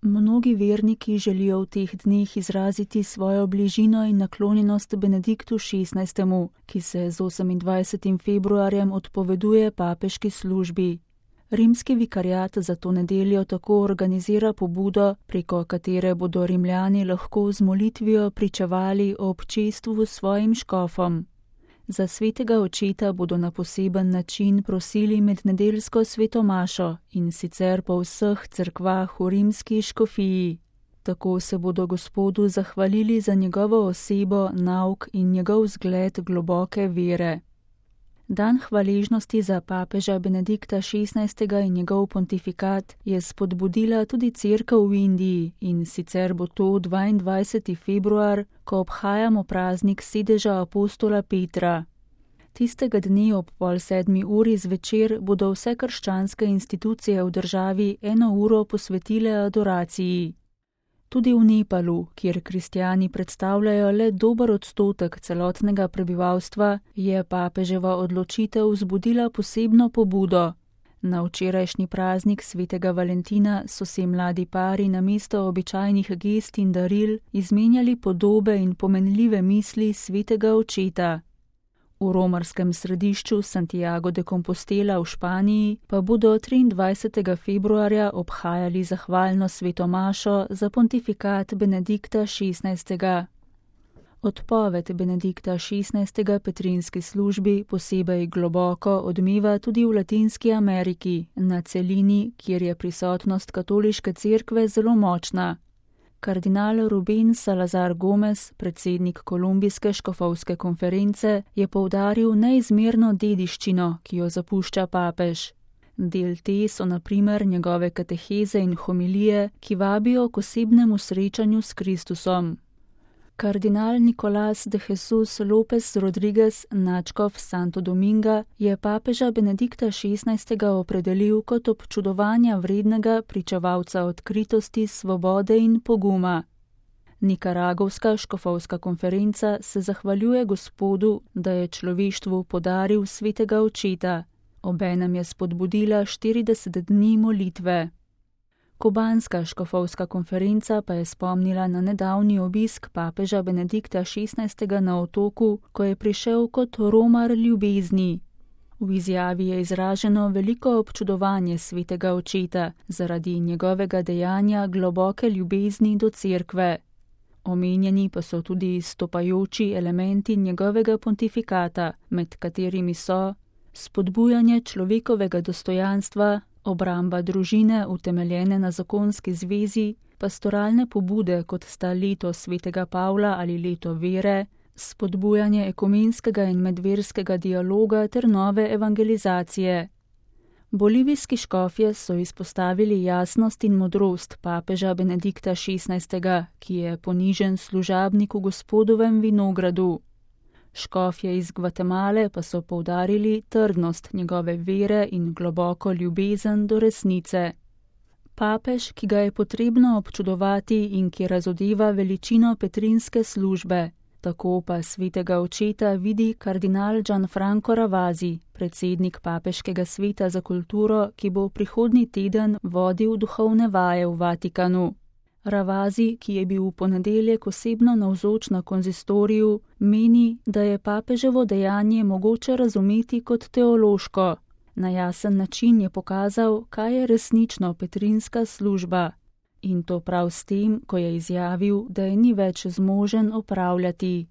Mnogi verniki želijo v teh dneh izraziti svojo bližino in naklonjenost Benediktu XVI., ki se z 28. februarjem odpoveduje papeški službi. Rimski vikariat za to nedeljo tako organizira pobudo, preko katere bodo Rimljani lahko z molitvijo pričevali o občestvu svojim škofom. Za svetega očeta bodo na poseben način prosili med nedeljsko sveto mašo, in sicer po vseh cerkvah v rimski škofiji. Tako se bodo Gospodu zahvalili za njegovo osebo, nauk in njegov zgled globoke vere. Dan hvaležnosti za papeža Benedikta XVI. In njegov pontifikat je spodbudila tudi cerkev v Indiji, in sicer bo to 22. februar, ko obhajamo praznik sedeža apostola Petra. Tistega dne ob 6:30 zvečer bodo vse krščanske institucije v državi 1 uro posvetile adoraciji. Tudi v Nepalu, kjer kristjani predstavljajo le dober odstotek celotnega prebivalstva, je papeževa odločitev vzbudila posebno pobudo. Na včerajšnji praznik svetega Valentina so si mladi pari namesto običajnih gest in daril izmenjali podobe in pomenljive misli svetega očeta. V romarskem središču Santiago de Compostela v Španiji pa bodo 23. februarja obhajali zahvalno sveto mašo za pontifikat Benedikta XVI. Odpoved Benedikta XVI. Petrinski službi posebej globoko odmeva tudi v Latinski Ameriki, na celini, kjer je prisotnost katoliške cerkve zelo močna. Kardinal Rubén Salazar Gómez, predsednik Kolumbijske škofovske konference, je poudaril neizmerno dediščino, ki jo zapušča papež. Del te so na primer njegove kateheze in homilije, ki vabijo k osebnemu srečanju s Kristusom. Kardinal Nicolás de Jesús López Rodríguez, nadškof Santo Dominga, je papeža Benedikta XVI. Opredelil kot občudovanja vrednega pričevalca odkritosti, svobode in poguma. Nikaragovska škofovska konferenca se zahvaljuje Gospodu, da je človeštvu podaril svetega očeta. Obenem je spodbudila 40 dni molitve. Kubanska škofovska konferenca pa je spomnila na nedavni obisk papeža Benedikta XVI. Na otoku, ko je prišel kot romar ljubezni. V izjavi je izraženo veliko občudovanje svetega očeta zaradi njegovega dejanja globoke ljubezni do cerkve. Omenjeni pa so tudi izstopajoči elementi njegovega pontifikata, med katerimi so spodbujanje človekovega dostojanstva, obramba družine utemeljene na zakonski zvezi, pastoralne pobude, kot sta leto svetega Pavla ali leto vere, spodbujanje ekumenskega in medverskega dialoga ter nove evangelizacije. Bolivijski škofje so izpostavili jasnost in modrost papeža Benedikta XVI., ki je ponižen služabnik v Gospodovem vinogradu. Škofje iz Gvatemale pa so poudarili trdnost njegove vere in globoko ljubezen do resnice. Papež, ki ga je potrebno občudovati in ki razodeva veličino petrinske službe, tako pa svetega očeta vidi kardinal Gianfranco Ravasi, predsednik papeškega sveta za kulturo, ki bo prihodnji teden vodil duhovne vaje v Vatikanu. Ravasi, ki je bil v ponedeljek osebno navzoč na konzistoriju, meni, da je papeževo dejanje mogoče razumeti kot teološko. Na jasen način je pokazal, kaj je resnično petrinska služba. In to prav s tem, ko je izjavil, da je ni več zmožen opravljati.